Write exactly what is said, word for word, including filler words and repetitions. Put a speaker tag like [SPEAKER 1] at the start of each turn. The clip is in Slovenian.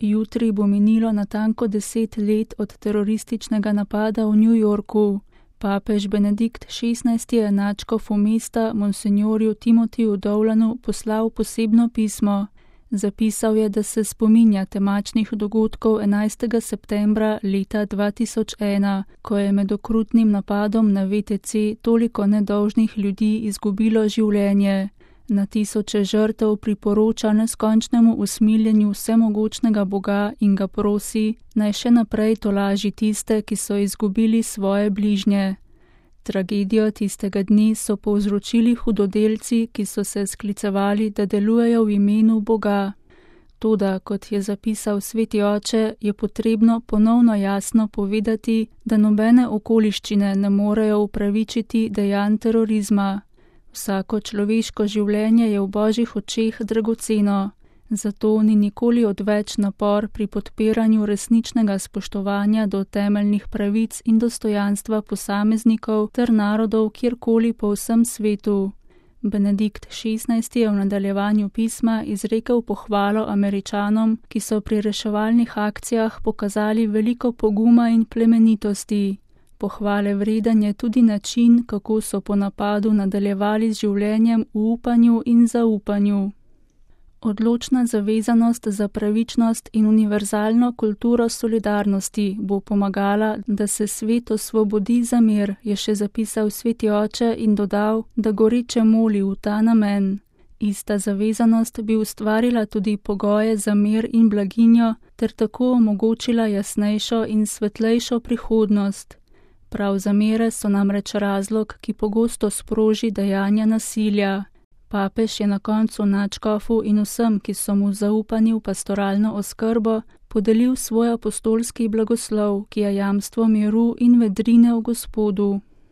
[SPEAKER 1] Jutri bo minilo natanko deset let od terorističnega napada v New Yorku. Papež Benedikt šestnajsti je nadškofu mesta monsinjorju Timotiju Dowlanu poslal posebno pismo. Zapisal je, da se spominja temačnih dogodkov enajstega septembra leta dva tisoč ena, ko je med okrutnim napadom na V T C toliko nedolžnih ljudi izgubilo življenje. Na tisoče žrtev priporoča neskončnemu usmiljenju vsemogočnega Boga in ga prosi, naj še naprej tolaži tiste, ki so izgubili svoje bližnje. Tragedijo tistega dne so povzročili hudodelci, ki so se sklicevali, da delujejo v imenu Boga. Toda, kot je zapisal sveti oče, je potrebno ponovno jasno povedati, da nobene okoliščine ne morejo upravičiti dejanj terorizma. Vsako človeško življenje je v Božjih očeh dragoceno, zato ni nikoli odveč napor pri podpiranju resničnega spoštovanja do temeljnih pravic in dostojanstva posameznikov ter narodov kjerkoli po vsem svetu. Benedikt šestnajsti je v nadaljevanju pisma izrekel pohvalo Američanom, ki so pri reševalnih akcijah pokazali veliko poguma in plemenitosti. Pohvale vreden je tudi način, kako so po napadu nadaljevali z življenjem v upanju in zaupanju. Odločna zavezanost za pravičnost in univerzalno kulturo solidarnosti bo pomagala, da se svet osvobodi za mir, je še zapisal sveti oče in dodal, da goreče moli v ta namen. Ista zavezanost bi ustvarila tudi pogoje za mir in blaginjo ter tako omogočila jasnejšo in svetlejšo prihodnost. Prav zamere so namreč razlog, ki pogosto sproži dejanja nasilja. Papež je na koncu nadškofu in vsem, ki so mu zaupani v pastoralno oskrbo, podelil svoj apostolski blagoslov, ki je jamstvo miru in vedrine v Gospodu.